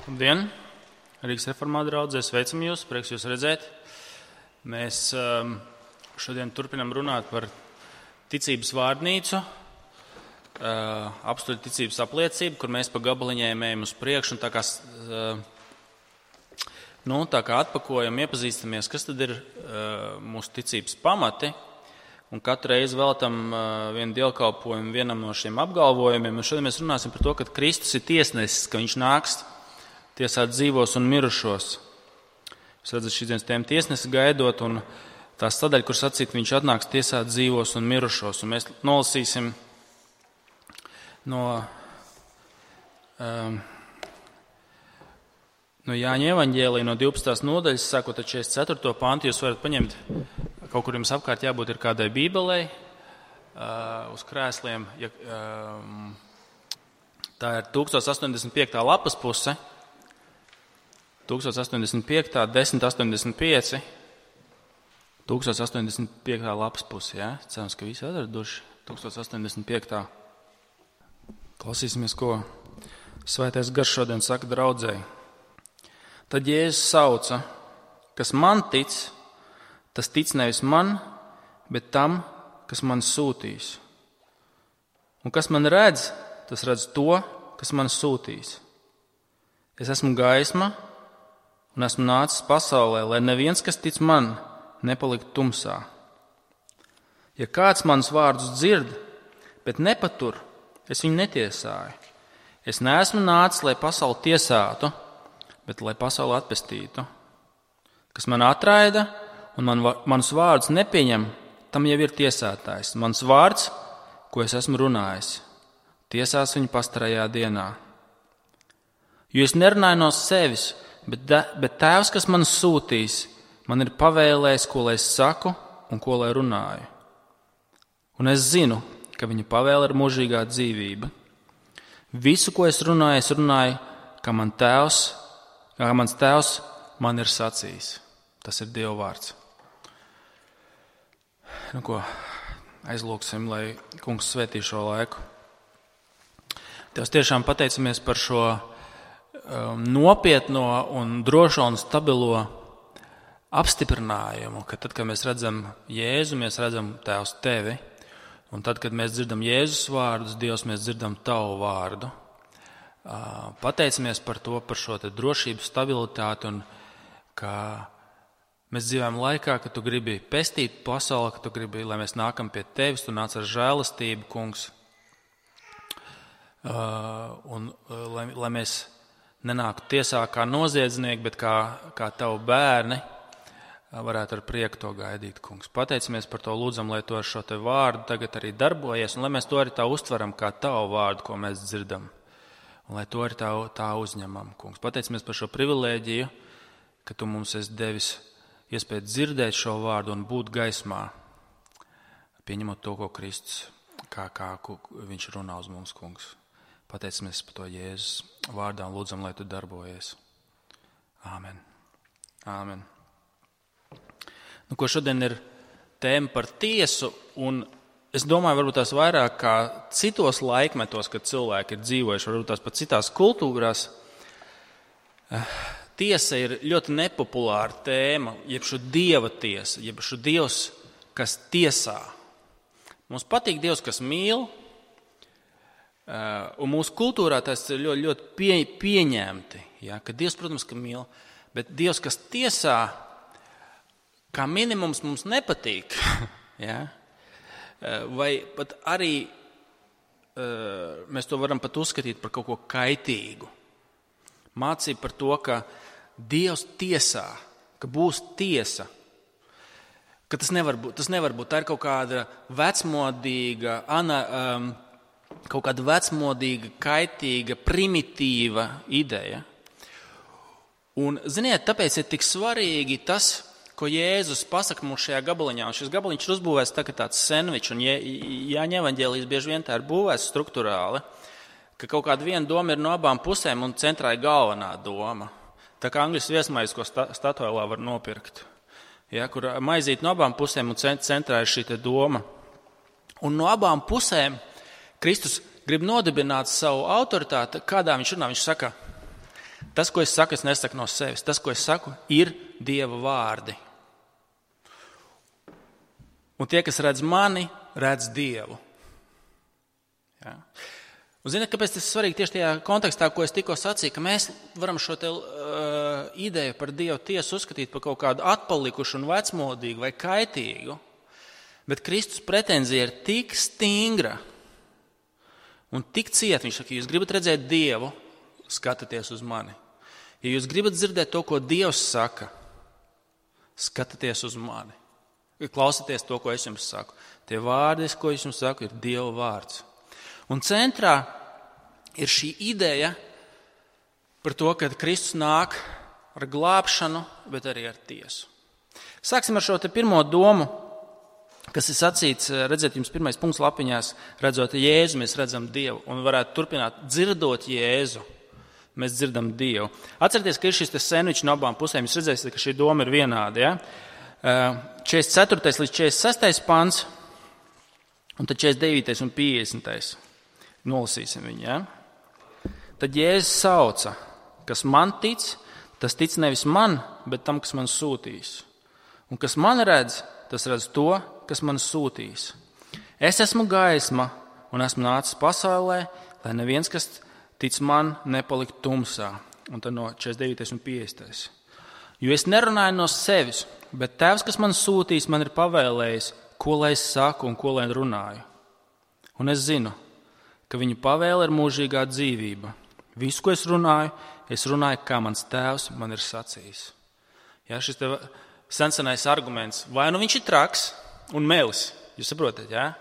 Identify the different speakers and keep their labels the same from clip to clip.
Speaker 1: Labdien! Rīgas reformāta draudzē, sveicam jūs, prieks jūs redzēt. Mēs šodien turpinam runāt par ticības vārnīcu, apstuļu ticības apliecību, kur mēs pa gabaliņiem ejam uz priekšu un tā kā atpakojam, iepazīstamies, kas tad ir mūsu ticības pamati. Un katru reizi veltam vienu dievkalpojumu vienam no šiem apgalvojumiem. Un šodien mēs runāsim par to, ka Kristus ir tiesnesis, ka viņš nāks tiesāt dzīvos un mirušos. Jūs redzat, šīs dienas tēma tiesnesi gaidot, un tā sadaļa, kur sacīt, viņš atnāks tiesāt dzīvos un mirušos. Un mēs nolasīsim no Jāņa evaņģēlija, no 12. nodaļas, sākot ar 44. pantu. Jūs varat paņemt, kaut kur jums apkārt jābūt ir kādai bībelei, uz krēsliem. Tā ir 1085. lapas puse. 1085, 1085, 1085. lapas pusi, jā? Cerams, ka visi atraduši 1085. Klausīsimies, ko Svētais Gars šodien saka draudzēji. Tad Jēzus sauca, kas man tic, tas tic nevis man, bet tam, kas man sūtīs. Un kas man redz, tas redz to, kas man sūtīs. Es esmu gaisma, un esmu nācis pasaulē, lai neviens, kas tic man, nepalikt tumsā. Ja kāds manas vārdus dzird, bet nepatur, es viņu netiesāju. Es neesmu nācis, lai pasauli tiesātu, bet lai pasauli atpestītu. Kas man atraida un manus vārdus nepieņem, tam jau ir tiesātājs. Mans vārds, ko es esmu runājis, tiesās viņu pastarajā dienā. Jo es nerunāju no sevis, bet Tēvs, kas man sūtīs, man ir pavēlējis, ko lai es saku un ko lai runāju. Un es zinu, ka viņa pavēle ir mūžīgā dzīvība. Visu, ko es runāju, kā mans Tēvs man ir sacījis. Tas ir Dieva vārds. Aizlūksim, lai Kungs svētī šo laiku. Tev tiešām pateicamies par šo nopietno un drošo un stabilo apstiprinājumu, ka tad, kad mēs redzam Jēzu, mēs redzam Tēvs tevi, un tad, kad mēs dzirdam Jēzus vārdus, Dievs, mēs dzirdam tavu vārdu. Pateicamies par to, par šo te drošību, stabilitāti, un ka mēs dzīvojam laikā, ka tu gribi pestīt pasauli, ka tu gribi, lai mēs nākam pie tevis, tu nāc ar žēlastību, Kungs, un lai mēs nenāktu tiesā kā noziedznieki, bet kā tavu bērni, varētu ar prieku to gaidīt, Kungs. Pateicamies par to, lūdzam, lai to ar šo te vārdu tagad arī darbojies, un lai mēs to arī tā uztveram kā tavu vārdu, ko mēs dzirdam, un lai to arī tā uzņemam, Kungs. Pateicamies par šo privilēģiju, ka tu mums esi devis iespēju dzirdēt šo vārdu un būt gaismā, pieņemot to, ko Kristus, kā viņš runā uz mums, Kungs. Pateicamies par to Jēzus vārdā un lūdzam, lai tu darbojies. Āmen. Āmen. Ko šodien ir tēma par tiesu, un es domāju, varbūt tās vairāk kā citos laikmetos, kad cilvēki ir dzīvojuši, varbūt tās pat citās kultūrās. Tiesa ir ļoti nepopulāra tēma, jeb šo Dieva tiesa, jeb šo Dievs, kas tiesā. Mums patīk Dievs, kas mīl, un mūsu kultūrā tas ir ļoti, ļoti pieņemti, ja, ka Dievs, protams, ka mīl, bet Dievs, kas tiesā, kā minimums mums nepatīk, ja, vai pat arī mēs to varam pat uzskatīt par kaut ko kaitīgu. Mācība par to, ka Dievs tiesā, ka būs tiesa, ka tas nevar būt, tā ir kaut kāda vecmodīga, kaut kāda vecmodīga, kaitīga, primitīva ideja. Un, ziniet, tāpēc ir tik svarīgi tas, ko Jēzus pasaka mums šajā gabaliņā. Un šis gabaliņš ir uzbūvēts tā kā tāds sendvičs, un Jāņa evaņģēlijs bieži vien tā ir būvēts struktūrāli, ka kaut kāda viena doma ir no abām pusēm un centrā ir galvenā doma. Tā kā angļu viesmaize, ko Statoilā var nopirkt, ja, kur maizīt no abām pusēm un centrā ir šī doma. Un no abām pusēm Kristus grib nodibināt savu autoritāti, kādā viņš runā. Viņš saka, Tas, ko es saku, es nesaku no sevis. Tas, ko es saku, ir Dieva vārdi. Un tie, kas redz mani, redz Dievu. Ja. Un ziniet, kāpēc tas ir svarīgi tieši tajā kontekstā, ko es tikko sacīju, ka mēs varam šo ideju par Dievu tiesu uzskatīt par kaut kādu atpalikušu un vecmodīgu vai kaitīgu, bet Kristus pretenzija ir tik stingra un tik cieta. Viņš saka, ja jūs gribat redzēt Dievu, skatieties uz mani. Ja jūs gribat dzirdēt to, ko Dievs saka, skatieties uz mani. Klausieties to, ko es jums saku. Tie vārdi, ko es jums saku, ir Dieva vārds. Un centrā ir šī ideja par to, ka Kristus nāk ar glābšanu, bet arī ar tiesu. Sāksim ar šo pirmo domu, kas ir sacīts, redzēt jums pirmais punkts lapiņās, redzot Jēzu, mēs redzam Dievu, un varētu turpināt dzirdot Jēzu, mēs dzirdam Dievu. Atcerieties, ka ir šis sandvičs no abām pusēm, jūs redzēsiet, ka šī doma ir vienāda, ja? 44. līdz 46. pants, un tad 49. un 50. Nolasīsim viņu, ja? Tad Jēzus sauca, kas man tic, tas tic nevis man, bet tam, kas man sūtīs. Un kas man redz, tas redz to, kas man sūtīs. Es esmu gaisma un esmu nācis pasaulē, lai neviens, kas tic man, nepalikt tumsā. Un tad no 49. un 50. Jo es nerunāju no sevis, bet Tēvs, kas man sūtīs, man ir pavēlējis, ko lai es saku un ko lai runāju. Un es zinu, ka viņa pavēle ir mūžīgā dzīvība. Visu, ko es runāju, kā mans Tēvs man ir sacījis. Ja, šis sensenais arguments, vai nu viņš ir traks un melis, jūs saprotat, ja?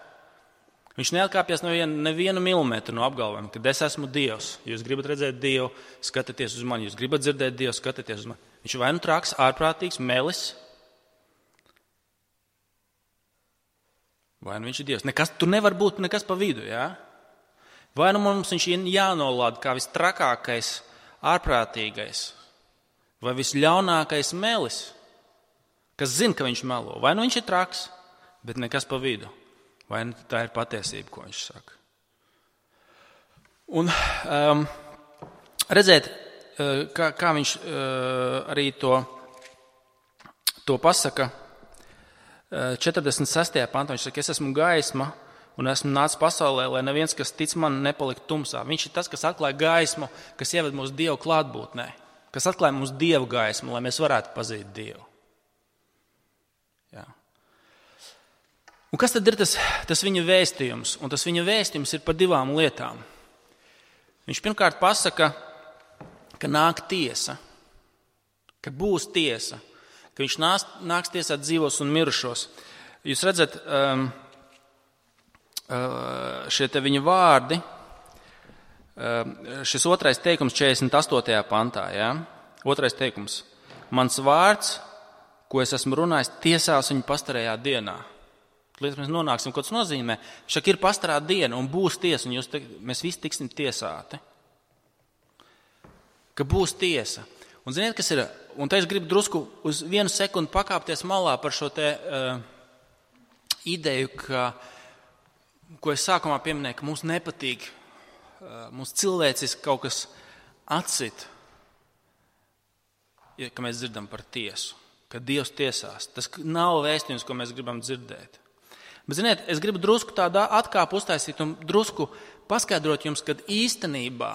Speaker 1: Viņš neatkāpjas nevienu milimetru no apgalvojuma, kad es esmu Dievs. Jūs gribat redzēt Dievu, skatieties uz mani. Jūs gribat dzirdēt Dievu, skatieties uz mani. Viņš ir vai nu traks, ārprātīgs, melis, vai nu viņš ir Dievs. Tur nevar būt nekas pa vidu, ja? Vai nu mums viņš ir jānolāda kā vistrakākais, ārprātīgais, vai visļaunākais melis, kas zina, ka viņš melo. Vai nu viņš ir traks, bet nekas pa vidu. Vai nu tā ir patiesība, ko viņš saka. Un redzēt, kā viņš arī to pasaka 46. pantā. Viņš saka, es esmu gaisma un esmu nācis pasaulē, lai neviens, kas tic man, nepalikt tumsā. Viņš ir tas, kas atklāja gaismu, kas ieved mūsu Dievu klātbūtnē, kas atklāja mūsu Dievu gaismu, lai mēs varētu pazīt Dievu. Jā. Un kas tad ir tas viņa vēstījums? Un tas viņa vēstījums ir par divām lietām. Viņš pirmkārt pasaka, ka nāk tiesa, ka būs tiesa, ka viņš nāks tiesāt dzīvos un mirušos. Jūs redzat, šie te viņa vārdi, šis otrais teikums 48. pantā, ja? Otrais teikums. Mans vārds, ko es esmu runājis, tiesās viņu pastarējā dienā. Līdz mēs nonāksim, ko tas nozīmē. Šak ir pastarā diena un būs tiesa, un mēs visi tiksim tiesāti. Ka būs tiesa. Un ziniet, kas ir? Un te es gribu drusku uz 1 sekundi pakāpties malā par šo te ideju, ko es sākumā pieminēju, ka mums nepatīk, mums cilvēciski kaut kas atsit, ka mēs dzirdam par tiesu, ka Dievs tiesās. Tas nav vēstījums, ko mēs gribam dzirdēt. Bet, ziniet, es gribu drusku tādā atkāpu uztaisīt un drusku paskaidrot jums, ka īstenībā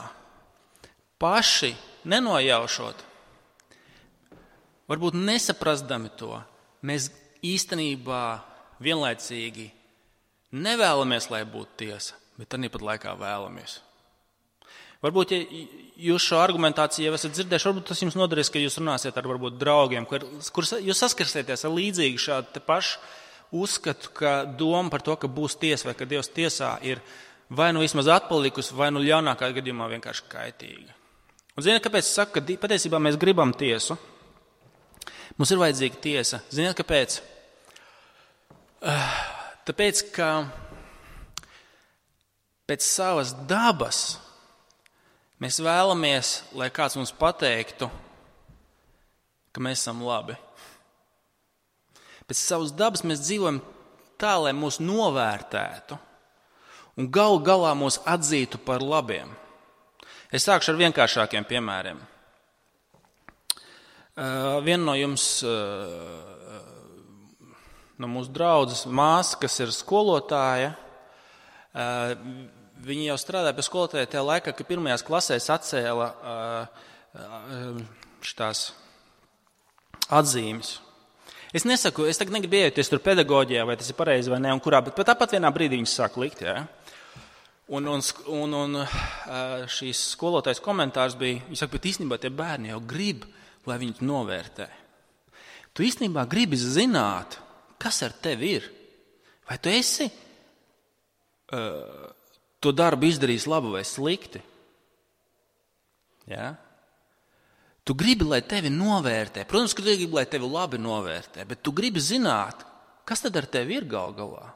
Speaker 1: paši nenojaušot, varbūt nesaprastami to, mēs īstenībā vienlaicīgi nevēlamies, lai būtu tiesa, bet arī pat laikā vēlamies. Varbūt, ja jūs šo argumentāciju jau esat dzirdējuši, varbūt tas jums noderēs, ka jūs runāsiet ar varbūt draugiem, kur jūs saskarsieties ar līdzīgi šādu te pašu uzskatu, ka doma par to, ka būs tiesa vai ka Dievs tiesā ir vai nu vismaz atpalikusi, vai nu ļaunākā gadījumā vienkārši kaitīga. Un ziniet, kāpēc es saku, ka patiesībā mēs gribam tiesu? Mums ir vajadzīga tiesa. Ziniet, kāpēc? Tāpēc, ka pēc savas dabas mēs vēlamies, lai kāds mums pateiktu, ka mēs esam labi. Pēc savas dabas mēs dzīvojam tā, lai mūs novērtētu un galā mūs atzītu par labiem. Es sākšu ar vienkāršākiem piemēriem. Viena no jums, no mūsu draudzes māsa, kas ir skolotāja, viņa jau strādāja pie skolotāja tajā laikā, kad pirmajās klasēs atcēla šitās atzīmes. Es nesaku, es tagad negribu iejaukties tur pedagoģijā, vai tas ir pareizi vai ne, un kurā, bet tāpat vienā brīdī viņas sāk likt, jā. Un šīs skolotājas komentārs bija, viņa saka, bet īstenībā tie bērni jau grib, lai viņus novērtē. Tu īstenībā gribi zināt, kas ar tevi ir. Vai tu esi to darbu izdarījis labi vai slikti? Jā? Tu gribi, lai tevi novērtē. Protams, ka tu gribi, lai tevi labi novērtē, bet tu gribi zināt, kas tad ar tevi ir gal galā.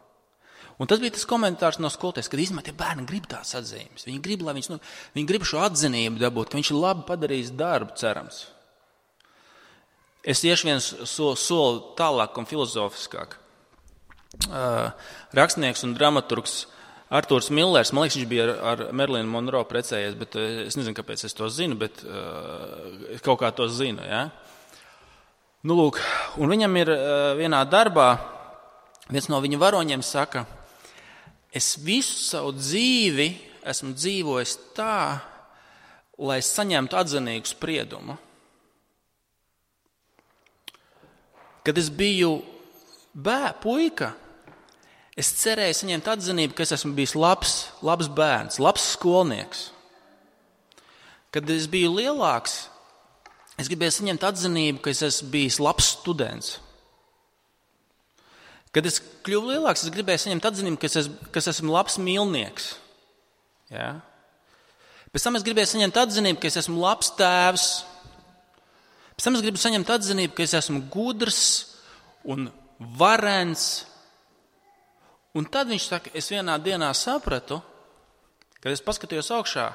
Speaker 1: Un tas bija tas komentārs no skolotājas, kad īstenībā tie bērni grib tās atzīmes. Viņi grib, lai viņi grib šo atzinību dabūt, ka viņš ir labi padarījis darbu, cerams. Es iešu viens soli tālāk un filozofiskāk. Rakstnieks un dramaturgs Artūrs Millers, man liekas, viņš bija ar Marilyn Monroe precējies, bet es nezinu, kāpēc es to zinu, bet kaut kā to zinu, ja? Nu, lūk, un viņam ir vienā darbā, viens no viņa varoņiem saka, es visu savu dzīvi esmu dzīvojis tā, lai saņemtu atzinīgu spriedumu. Kad es biju puika, es cerēju saņemt atzinību, ka es esmu bijis labs bērns, labs skolnieks. Kad es biju lielāks, es gribēju saņemt atzinību, ka es esmu bijis labs students. Kad es kļuvu lielāks, es gribēju saņemt atzinību, ka es esmu labs mīlnieks. Ja? Pēc tam es gribēju saņemt atzinību, ka es esmu labs tēvs. Pēc tam es gribu saņemt atzinību, ka es esmu gudrs un varens. Un tad viņš saka, es vienā dienā sapratu, kad es paskatījos augšā,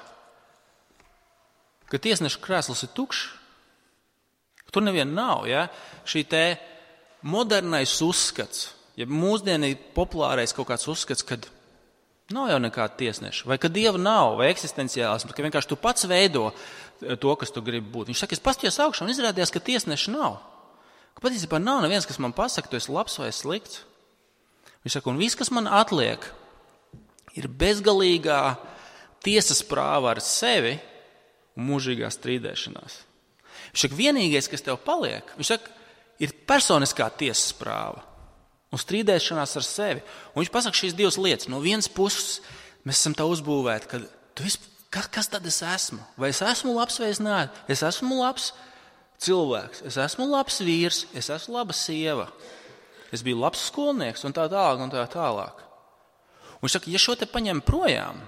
Speaker 1: ka tiesneša krēsls ir tukšs. Tur neviena nav, ja? Šī te modernais uzskats, ja mūsdienī populārais kaut kāds uzskats, kad nav jau nekāda tiesneša, vai ka Dieva nav, vai eksistenciālisms, ka vienkārši tu pats veido to, kas tu gribi būt. Viņš saka, es paskatījos augšā un izrādījās, ka tiesneša nav. Ka patiesībā nav neviens, kas man pasaka, tu esi labs vai slikts. Viņš saka, un viss, kas man atliek, ir bezgalīgā tiesas prāva ar sevi un mūžīgā strīdēšanās. Viņš saka, vienīgais, kas tev paliek, viņš saka, ir personiskā tiesas prāva un strīdēšanās ar sevi. Un viņš pasaka šīs divas lietas. No vienas puses mēs esam tā uzbūvēti, ka kas tad es esmu? Vai es esmu labs vai es neesmu? Es esmu labs cilvēks, es esmu labs vīrs, es esmu laba sieva. Es biju labs skolnieks un tā tālāk un tā tālāk. Un viņš saka, ja šo te paņem projām,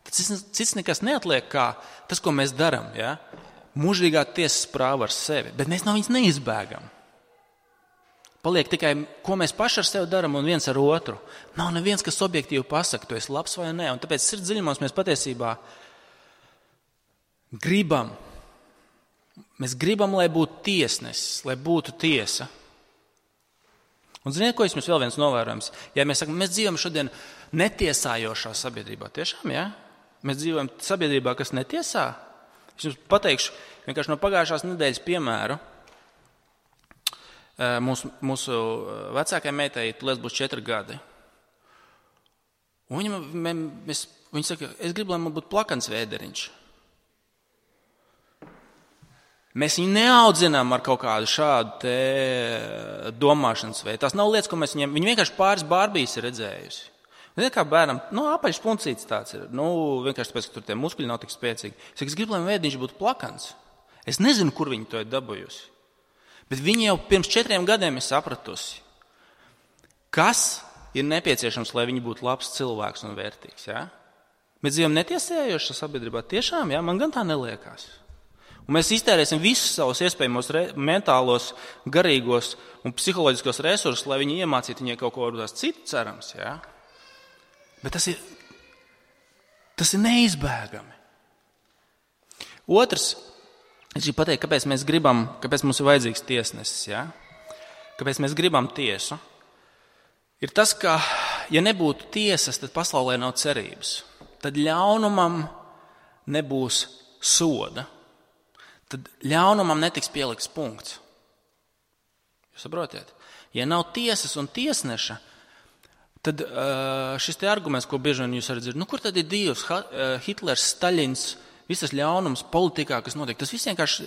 Speaker 1: tad cits nekas neatliek kā tas, ko mēs darām. Ja? Mūžīgā tiesas prāva ar sevi, bet mēs no viņas neizbēgam. Paliek tikai, ko mēs paši ar sevi darām un viens ar otru. Nav neviens, kas objektīvi pasaka, tu esi labs vai nē. Un tāpēc sirds dziļumos mēs patiesībā gribam. Mēs gribam, lai būtu tiesnesis, lai būtu tiesa. Un ziniet, ko jums vēl viens novērojams? Ja mēs sakam, mēs dzīvojam šodien netiesājošā sabiedrībā, tiešām, ja? Mēs dzīvojam sabiedrībā, kas netiesā. Es jums pateikšu vienkārši no pagājušās nedēļas piemēru. Mūsu vecākajai meitai tulēs būs 4 gadi. Un viņa saka, es gribu, lai man būtu plakans vēderiņš. Mēs viņu neaudzinām ar kaut kādu šādu domāšanas veidu. Tās nav lietas, ko mēs viņiem... Viņi vienkārši pāris bārbijas ir redzējusi. Ziniet, kā bērnam, apaļš puncītis tāds ir. Vienkārši tāpēc, ka tur tie muskuļi nav tik spēcīgi. Es gribu, lai vēdiņš būtu plakans. Es nezinu, kur viņi to ir dabūjusi. Bet viņi jau pirms 4 gadiem ir sapratusi, kas ir nepieciešams, lai viņi būtu labs cilvēks un vērtīgs. Ja? Mēs dzīvojam netiesējošā sabiedrībā. Tiešām, ja? Man gan tā neliekās. Un mēs iztērēsim visus savus iespējamos mentālos, garīgos un psiholoģiskos resursus, lai viņi iemācītu viņai kaut ko varbūt citu, cerams. Ja? Bet tas ir neizbēgami. Otrs, es gribu pateikt, kāpēc mums ir vajadzīgs tiesnesis. Ja? Kāpēc mēs gribam tiesu. Ir tas, ka, ja nebūtu tiesas, tad pasaulē nav cerības. Tad ļaunumam nebūs soda. tad ļaunumam netiks pielikts punkts. Jūs saprotiet? Ja nav tiesas un tiesneša, tad šis te arguments, ko bieži vien jūs arī dzirdat, kur tad ir Dievs, Hitlers, Staļins, visas ļaunums politikā, kas notiek, tas viss vienkārši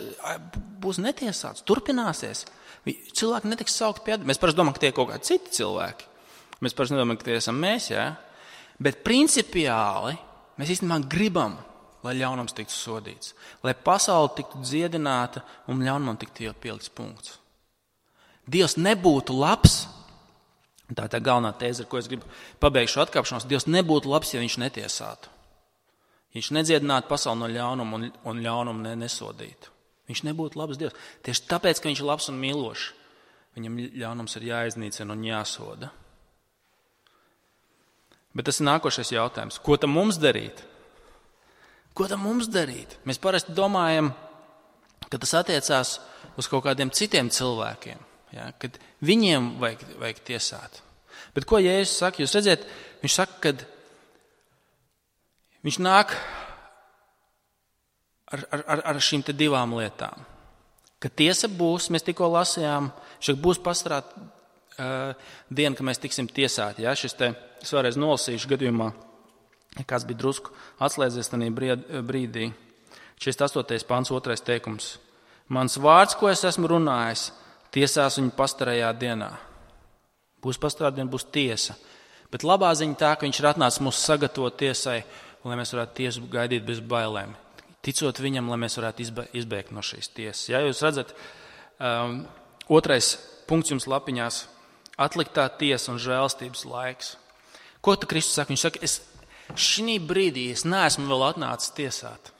Speaker 1: būs netiesāts, turpināsies. Cilvēki netiks saukt pie atbildības. Mēs parasti domājam, ka tie ir kaut kādi citi cilvēki. Mēs parasti nedomājam, ka tie esam mēs, jā. Bet principiāli mēs īstenībā gribam, lai ļaunums tiktu sodīts, lai pasaule tiktu dziedināta un ļaunumam tiktu pielikts punkts. Dievs nebūtu labs, tā ir tā galvenā tēze, ar ko es gribu pabeigt šo atkāpšanos, Dievs nebūtu labs, ja viņš netiesātu. Viņš nedziedinātu pasauli no ļaunuma un ļaunumu nesodītu. Viņš nebūtu labs Dievs. Tieši tāpēc, ka viņš ir labs un mīlošs, viņam ļaunums ir jāiznīcina un jāsoda. Bet tas ir nākošais jautājums. Ko tam mums darīt? Ko tam mums darīt? Mēs parasti domājam, ka tas attiecās uz kaut kādiem citiem cilvēkiem, ja? Kad viņiem vajag tiesāt. Bet ko Jēzus saka? Jūs redziet, viņš saka, kad viņš nāk ar šīm te divām lietām. Kad tiesa būs, mēs tikko lasījām, šeit būs pastarāt diena, ka mēs tiksim tiesāti. Ja? Es vēlreiz nolasīšu gadījumā, kāds bija drusku atslēdzies tajā brīdī. 48. pants, 2. teikums. Mans vārds, ko es esmu runājis, tiesās viņu pastarajā dienā. Būs pastarā diena, būs tiesa. Bet labā ziņa tā, ka viņš ir atnācis mūs sagatavot tiesai, un lai mēs varētu tiesu gaidīt bez bailēm. Ticot viņam, lai mēs varētu izbēgt no šīs tiesas. Ja jūs redzat, 2. punkts jums lapiņās – atliktā tiesa un žēlstības laiks. Ko tu Kristus saka? Viņš saka, šī brīdī es neesmu vēl atnācis tiesāt.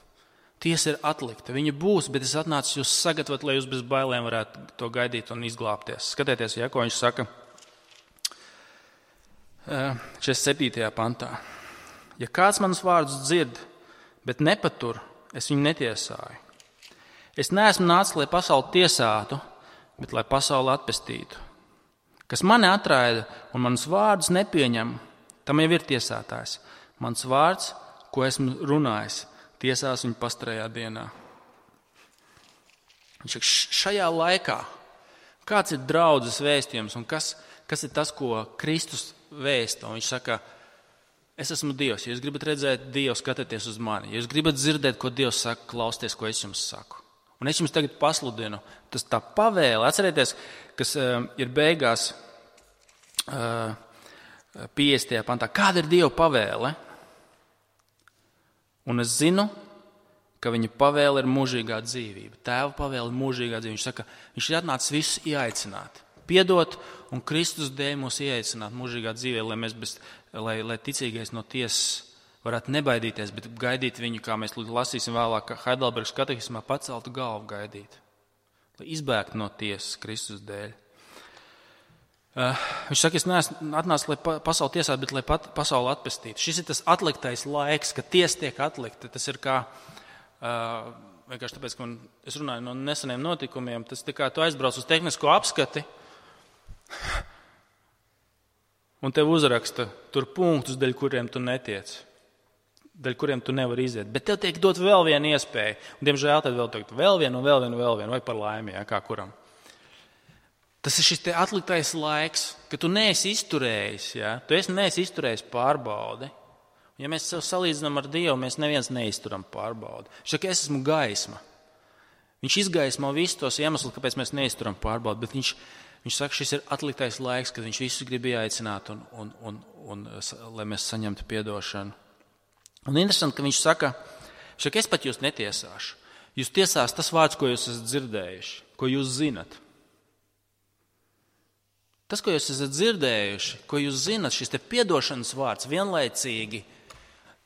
Speaker 1: Tiesa ir atlikta. Viņa būs, bet es atnācu jūs sagatavot, lai jūs bez bailēm varētu to gaidīt un izglābties. Skatieties, ja, ko viņš saka 47. pantā. Ja kāds manas vārdus dzird, bet nepatur, es viņu netiesāju. Es neesmu nācis, lai pasauli tiesātu, bet lai pasauli atpestītu. Kas mani atraida un manas vārdus nepieņem, tam jau ir tiesātājs. Mans vārds, ko esmu runājis, tiesās viņu pastarajā dienā. Viņš saka, šajā laikā, kāds ir draudzes vēstījums un kas ir tas, ko Kristus vēsta? Un viņš saka, es esmu Dievs. Ja jūs gribat redzēt Dievu, skatieties uz mani. Ja jūs gribat dzirdēt, ko Dievs saka, klausieties, ko es jums saku. Un es jums tagad pasludinu, tas tā pavēle, atcerieties, kas ir beigās 50. pantā. Kāda ir Dieva pavēle? Un es zinu, ka viņa pavēle ir mūžīgā dzīvība. Tēva pavēle ir mūžīgā dzīvība. Viņš saka, viņš ir atnācis visus ieaicināt. Piedot un Kristus dēļ mūs ieaicināt mūžīgā dzīvē, lai ticīgais no tiesas varētu nebaidīties, bet gaidīt viņu, kā mēs lasīsim vēlāk, Heidelbergas katehismā paceltu galvu gaidīt. Lai izbēgtu no tiesas Kristus dēļ. Viņš saka, es neesmu atnācis, lai pasauli tiesātu, bet lai pasauli atpestītu. Šis ir tas atliktais laiks, kad tiesa tiek atlikta. Tas ir kā, vienkārši tāpēc, ka es runāju no neseniem notikumiem, tas ir kā tu aizbrauc uz tehnisko apskati, un tev uzraksta tur punktus, dēļ kuriem tu netiec, dēļ kuriem tu nevari iziet. Bet tev tiek dot vēl viena iespēja. Un, diemžēl, tad vēl vienu, vai par laimi, jā, kā kuram. Tas ir šis te atliktais laiks, ka tu neesi izturējis, jā. Tu neesi izturējis pārbaudi. Ja mēs sev salīdzinām ar Dievu, mēs neviens neizturam pārbaudi. Viņš saka, es esmu gaisma. Viņš izgaismo visus tos iemeslus, kāpēc mēs neizturam pārbaudi, bet viņš saka, šis ir atliktais laiks, kad viņš visus grib ieaicināt un lai mēs saņemtu piedošanu. Un interesanti, ka viņš saka, es pat jūs netiesāšu. Jūs tiesās tas vārds, ko jūs esat dzirdējuši, ko jūs zinat. Tas, ko jūs esat dzirdējuši, ko jūs zinat, šis te piedošanas vārds vienlaicīgi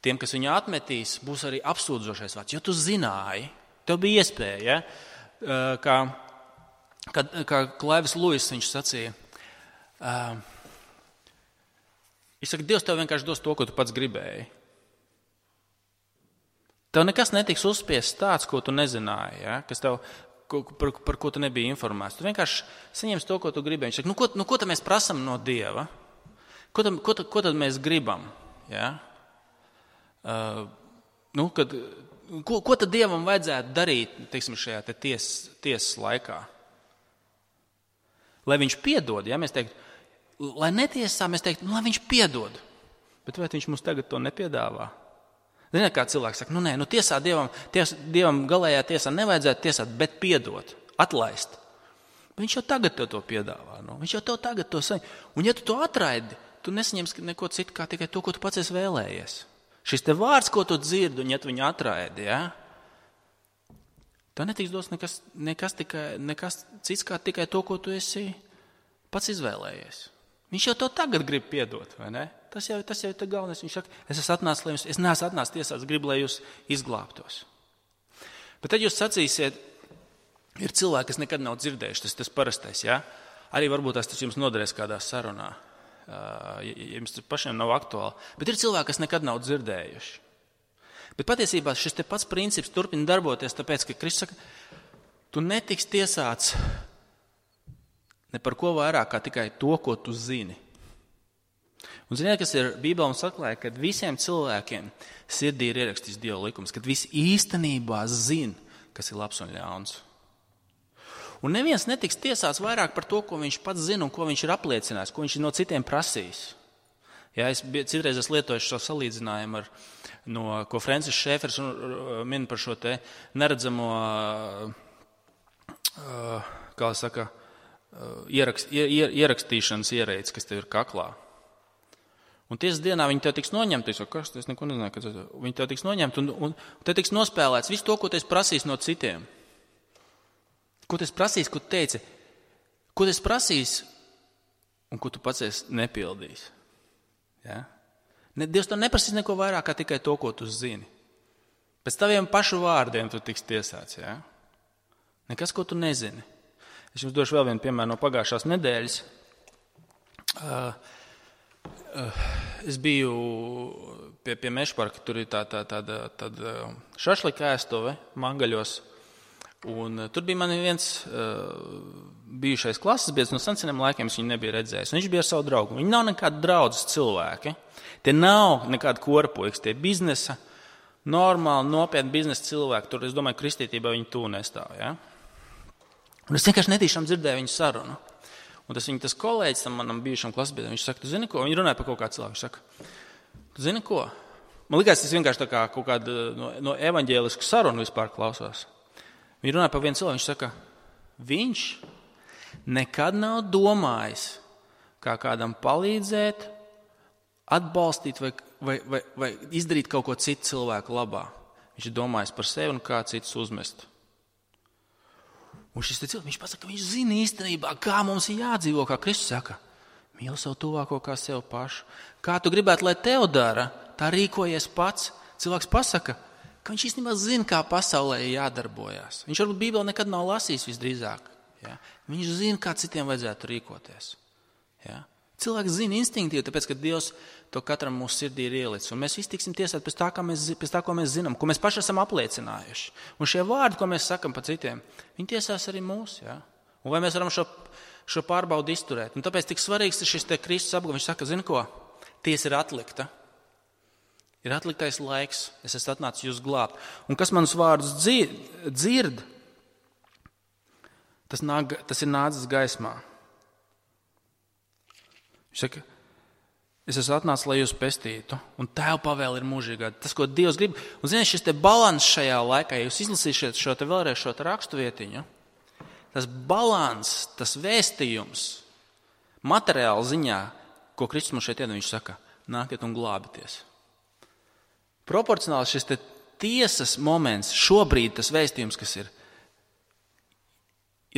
Speaker 1: tiem, kas viņu atmetīs, būs arī apsūdzošais vārds. Jo tu zināji, tev bija iespēja, ja? Kā Klaivis Luis viņš sacīja, viņš saka, Dievs tev vienkārši dos to, ko tu pats gribēji. Tev nekas netiks uzspiests tāds, ko tu nezināji, ja? Kas tev, par ko tu nebija informēts. Tu vienkārši saņemsi to, ko tu gribēji. Viņš saka, ko tad mēs prasam no Dieva? Ko tad mēs gribam? Ja? Kad ko tad Dievam vajadzētu darīt, teiksim, šajā tiesas laikā? Lai viņš piedod, ja mēs teiktu, lai netiesā, mēs teiktu, lai viņš piedod. Bet vai viņš mums tagad to nepiedāvā? Ziniet, kā cilvēks saka, tiesā Dievam galējā tiesā nevajadzētu tiesāt, bet piedot, atlaist. Bet viņš jau tagad to piedāvā. Viņš jau tev tagad to saņem. Un ja tu to atraidi, tu nesaņemsi neko citu, kā tikai to, ko tu pats esi vēlējies. Šis te vārds, ko tu dzirdi, un ja tu viņu atraidi, ja, tā netiks dos nekas cits, kā tikai to, ko tu esi pats izvēlējies. Viņš jau to tagad grib piedot, vai ne? Tas jau ir galvenais. Viņš saka, es neesmu atnācis tiesāt, es gribu, lai jūs izglābtos. Bet tad jūs sacīsiet, ir cilvēki, kas nekad nav dzirdējuši, tas parastais, ja? Arī varbūt tas jums noderēs kādā sarunā, ja jums pašiem nav aktuāli. Bet ir cilvēki, kas nekad nav dzirdējuši. Bet patiesībā šis te pats princips turpina darboties, tāpēc, ka Kristus saka, tu netiks tiesāts ne par ko vairāk, kā tikai to, ko tu zini. Un ziniet, kas ir Bībelē mums atklāja, kad visiem cilvēkiem sirdī ir ierakstīts Dieva likums, kad visi īstenībā zina, kas ir labs un ļauns. Un neviens netiks tiesāts vairāk par to, ko viņš pats zina un ko viņš ir apliecinājis, ko viņš ir no citiem prasījis. Ja, citreiz es lietoju šo salīdzinājumu, ko Francis Šēfers min par šo te neredzamo, kā saka, ierakstīšanas ierīci, kas tev ir kaklā. Un tiesas dienā viņi tev tiks noņemti, es neko nezināju, viņi tev tiks noņemti un tev tiks nospēlēts visu to, ko tu esi prasījis no citiem. Ko tu esi prasījis, ko tu teici, ko tu esi prasījis un ko tu pats esi nepildījis. Ja? Dievs tev neprasīs neko vairāk, kā tikai to, ko tu zini. Pēc taviem pašu vārdiem tu tiks tiesāts. Ja? Nekas, ko tu nezini. Es jums došu vēl vienu piemēru no pagājušās nedēļas. Es biju pie Mešparka, tur ir tāda šašlika ēstuve Mangaļos. Un tur bija man viens bijušais klases biedrs no seniem laikiem, es viņu nebiju redzējis. Un viņš bija ar savu draugu. Viņi nav nekādi draudzes cilvēki. Tie nav nekādi korpuiks, tie biznesa, normāli, nopietni biznesa cilvēki. Tur, es domāju, kristītībā viņi tū nestāv. Ja? Un es vienkārši netīšām dzirdēju viņu sarunu. Un tas kolēģis tam manam bijušam klases biedram, viņš saka, tu zini ko? Viņi runāja par kaut kādu cilvēku. Viņš saka, tu zini ko? Man likās, tas vienkārši tā kā kaut kāda no evaņģēlisku sarunu vispār klausās. Viņi runāja par vienu cilvēku, viņš saka, viņš nekad nav domājis, kā kādam palīdzēt, atbalstīt vai izdarīt kaut ko citu cilvēku labā. Viņš ir domājis par sevi un kā citus uzmest. Un šis cilvēks, viņš pasaka, ka viņš zina īstenībā, kā mums ir jādzīvo, kā Kristus saka, mīli savu tuvāko kā sev pašu. Kā tu gribētu, lai tev dara, tā rīkojies pats. Cilvēks pasaka, ka viņš īstenībā zina, kā pasaulē ir jādarbojās. Viņš varbūt Bībeli nekad nav lasījis visdrīzāk. Ja? Viņš zina, kā citiem vajadzētu rīkoties. Ja? Cilvēks zina instinktīvi, tāpēc, ka Dievs to katram mūsu sirdī ir ielicis. Un mēs visi tiksim tiesāti pēc tā, ko mēs zinām, ko mēs paši esam apliecinājuši. Un šie vārdi, ko mēs sakam par citiem, viņi tiesās arī mūs. Ja? Un vai mēs varam šo pārbaudu izturēt? Un tāpēc tik svarīgs ir šis te Kristus apgalvojums. Viņš saka, zini ko? Tiesa ir atlikta. Ir atliktais laiks, es esmu atnācis jūs glābt. Un kas manus vārdus dzird, tas ir nācis gaismā. Viņš saka, es esmu atnācis, lai jūs pestītu, un Tēva pavēle ir mūžīgā. Tas, ko Dievs grib. Un ziniet, šis te balans šajā laikā, ja jūs izlasīsiet vēlreiz šo rakstuvietiņu, tas balans, tas vēstījums, materiāla ziņā, ko Kristus mums šeit iedod, viņš saka, nākiet un glābieties. Proporcionāli šis te tiesas moments, šobrīd tas vēstījums, kas ir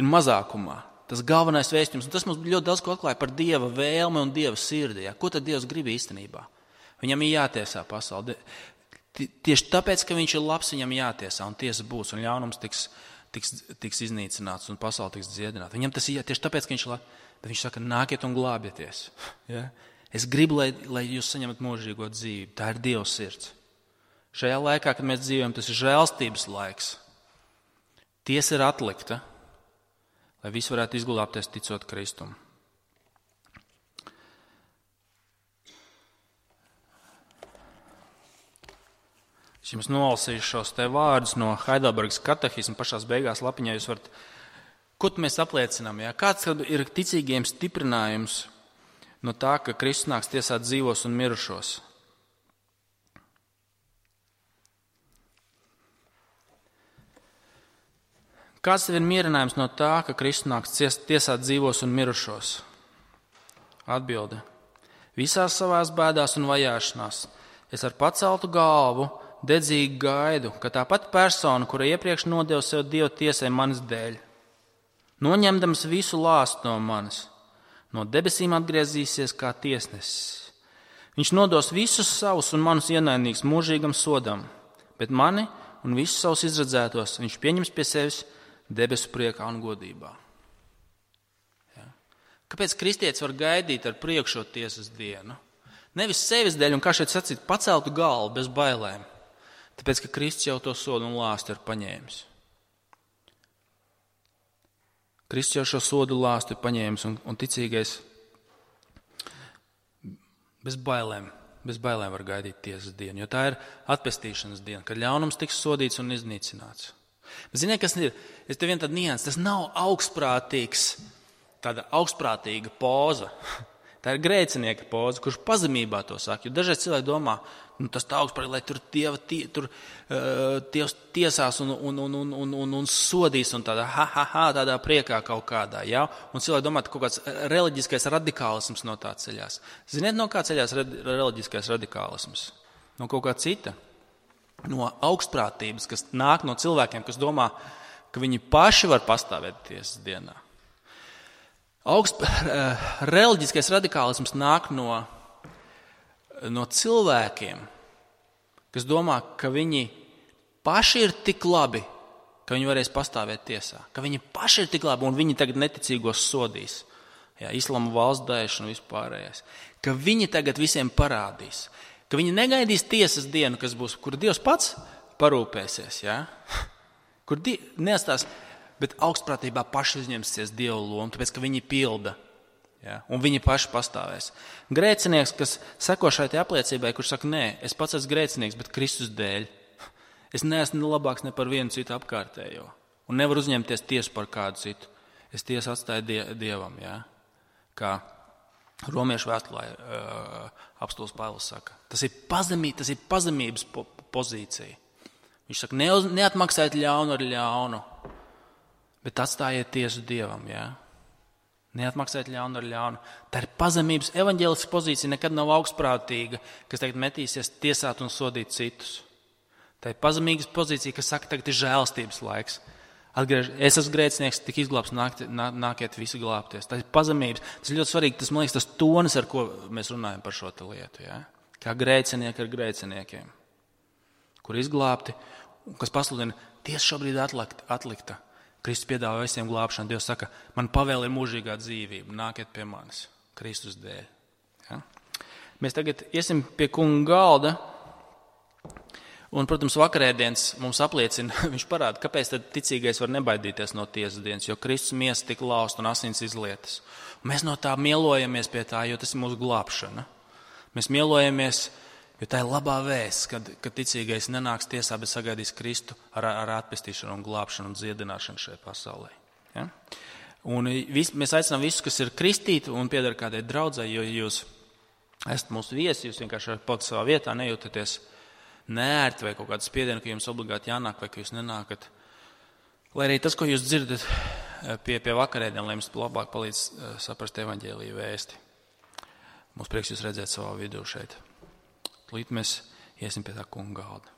Speaker 1: mazākumā, tas galvenais vēstījums, un tas mums ļoti daudz ko atklāja par Dieva vēlmi un Dieva sirdi. Ja? Ko tad Dievs grib īstenībā? Viņam ir jātiesā pasauli. Tieši tāpēc, ka viņš ir labs, viņam jātiesā, un tiesa būs, un ļaunums tiks iznīcināts, un pasauli tiks dziedināta. Viņam tas ir tieši tāpēc, ka viņš ir labs, bet viņš saka, nākiet un glābieties. Ja? Es gribu, lai jūs saņemat mūžīgo dzīvi. Tā ir Dieva sirds. Šajā laikā, kad mēs dzīvojam, tas ir žēlstības laiks. Tiesa ir atlikta, lai visi varētu izglābties ticot Kristum. Es jums nolasīšu šos te vārdus no Heidelbergas katehisma pašās beigās lapiņā. Jūs varat, ko mēs apliecinām? Ja? Kāds ir ticīgiem stiprinājums no tā, ka Kristus nāks tiesāt dzīvos un mirušos? Kāds tev ir mierinājums no tā, ka Kristus nāks tiesāt dzīvos un mirušos? Atbilde. Visās savās bēdās un vajāšanās es ar paceltu galvu dedzīgi gaidu, ka tā pati persona, kura iepriekš nodeva sev Dieva tiesai manis dēļ, noņemdams visu lāstu no manis, no debesīm atgriezīsies kā tiesnesis. Viņš nodos visus savus un manus ienaidniekus mūžīgam sodam, bet mani un visus savus izredzētos viņš pieņems pie sevis debesu priekā un godībā. Ja? Kāpēc kristietis var gaidīt ar prieku šo tiesas dienu? Nevis sevis dēļ, un kā šeit sacīt, paceltu galvu bez bailēm. Tāpēc, ka Kristus jau to sodu un lāstu ir paņēmis. Kristus jau šo sodu lāstu ir paņēmis, un ticīgais bez bailēm var gaidīt tiesas dienu, jo tā ir atpestīšanas diena, kad ļaunums tiks sodīts un iznīcināts. Bet ziniet, kas ir? Es te vien tad nians, tas nav tāda augstprātīga poza. Tā ir grēcinieka poza, kurš pazemībā to saka. Jo dažreiz cilvēki domā, tas tā augstprātīgi, lai tur Dievs tiesās un sodīs un tādā priekā kaut kādā. Ja? Un cilvēki domā, ka kaut kāds reliģiskais radikālisms no tā ceļās. Ziniet, no kā ceļās reliģiskais radikālisms? No kaut kā cita. No augstprātības, kas nāk no cilvēkiem, kas domā, ka viņi paši var pastāvēt tiesas dienā. Reliģiskais radikālisms nāk no cilvēkiem, kas domā, ka viņi paši ir tik labi, ka viņi varēs pastāvēt tiesā. Ka viņi paši ir tik labi un viņi tagad neticīgos sodīs. Jā, Islama valsts Daesh un vispārējais. Ka viņi tagad visiem parādīs. Ka viņi negaidīs tiesas dienu, kas būs, kur Dievs pats parūpēsies. Jā? Kur neatstās... Bet augstprātībā paši uzņemsies Dieva lomu, tāpēc, ka viņi pilda. Ja? Un viņi paši pastāvēs. Grēcinieks, kas seko šai apliecībai, kurš saka, nē, es pats esmu grēcinieks, bet Kristus dēļ. Es neesmu labāks ne par vienu citu apkārtējo. Un nevaru uzņemties tiesu par kādu citu. Es tiesu atstāju Dievam. Ja? Kā Romiešu vēstulē apostuls Pāvils saka. Tas ir pazemības pozīcija. Viņš saka, neatmaksājiet ļaunu ar ļaunu. Bet atstājiet tiesu Dievam, jā. Neatmaksājiet ļaunu ar ļaunu. Tā ir pazemības evaņģēliska pozīcija, nekad nav augstprātīga, kas tagad metīsies tiesāt un sodīt citus. Tā ir pazemības pozīcija, kas saka, tagad ir žēlstības laiks. Es esmu grēcinieks, tik izglābs, nākiet visi glābties. Tā ir pazemības. Tas ir ļoti svarīgi, tas, man liekas, tas tonis, ar ko mēs runājam par šo lietu, jā. Kā grēcinieki ar grēciniekiem, kur izglābti, kas pasludina, tiesa šobrīd atlikta. Kristus piedāvā visiem glābšanu. Dievs saka, man pavēl ir mūžīgā dzīvība, nākiet pie manis, Kristus dēļ. Ja? Mēs tagad iesim pie kunga galda, un, protams, vakarēdienas mums apliecina, viņš parāda, kāpēc tad ticīgais var nebaidīties no tiesas dienas, jo Kristus miesa tika lausta un asins izlietas. Un mēs no tā mielojamies pie tā, jo tas ir mūsu glābšana. Mēs mielojamies, jo tā ir labā vēsts, kad ticīgais nenāks tiesā, bet sagaidīs Kristu ar atpestīšanu un glābšanu un dziedināšanu šajā pasaulē. Ja? Un mēs aicinām visus, kas ir kristīti un pieder kādai draudzei, jo jūs esat mūsu viesi, jūs vienkārši palikt savā vietā, nejūtaties neērti vai kaut kādu spiedienu, ka jums obligāti jānāk vai ka jūs nenākat. Lai arī tas, ko jūs dzirdat pie vakarēdiem, lai jums labāk palīdz saprast evaņģēliju vēsti. Mums prieks jūs redzēt savā vidū šeit. Līdz mēs iesim pie tā kunga galda.